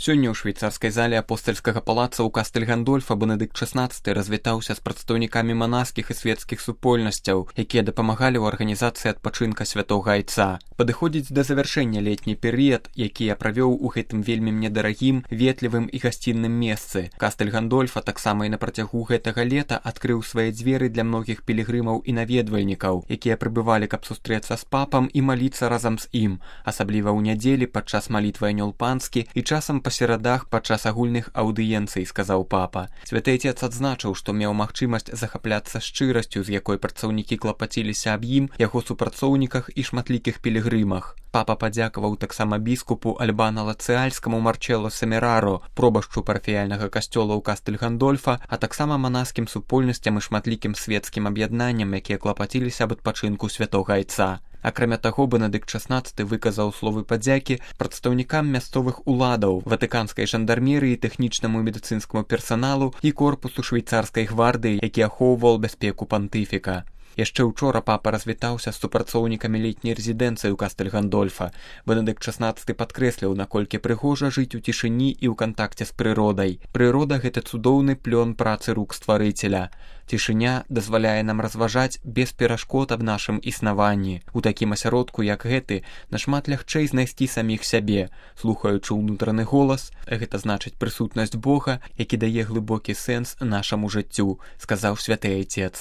Сёння ў швейцарскай зале апостальскага палаца ў Кастэль Гандольфа Бенедыкт XVI развітаўся з прадстаўнікамі манаскіх і светскіх супольнасцяў, якія дапамагалі ў арганізацыі адпачынка святога айца. Падыходзіць да завяршэння летні перыяд, які я правёў у гэтым вельмі мне дарагім, ветлівым і гасцінным месцы. Кастэль Гандольфа таксама і на працягу гэтага лета адкрыў свае дзверы для многіх пілігрымаў і наведвальнікаў, якія прыбывалі, каб сустрэцца з папам і маліцца разам з ім, асабліва ў нядзелі падчас малітвы анёл панскі і часам па серадах падчас агульных аўдыенцый, сказаў папа. Святы Айцец адзначыў, што меў магчымасць захапляцца шчырасцю, з якой працаўнікі клапаціліся аб ім, яго супрацоўніках і шматлікіх пілігрымах. Папа падзякаваў таксама біскупу Альбана Лацыальскаму Марчелло Семераро, пробашчу парафіяльнага касцёла ў Кастэль Гандольфа, а таксама манаскім супольнасцям і шматлікім светскім аб'яднанням, якія клапаціліся аб адпачынку святога айца. Акрамя таго, Бенедыкт XVI выказаў словы падзякі прадстаўнікам мясцовых уладаў, ватыканскай жандармерыі, тэхнічнаму і медыцынскаму персаналу і корпусу швейцарскай гвардыі, які ахоўваў бяспеку пантыфіка. Яшчэ ўчора папа развітаўся з супрацоўнікамі летняй рэзідэнцыі ў Кастэль Гандольфа. Бенедыкт XVI падкрэсліў, наколькі прыгожа жыць у цішыні і ў кантакце з прыродай. Прырода — гэта цудоўны плён працы рук стварыцеля. Цішыня дазваляе нам разважаць без перашкод аб нашым існаванні. У такім асяродку, як гэты, нашмат лягчэй знайсці саміх сябе, слухаючы ўнутраны голас, гэта значыць прысутнасць Бога, які дае глыбокі сэнс нашаму жыццю, сказаў святы Айцец.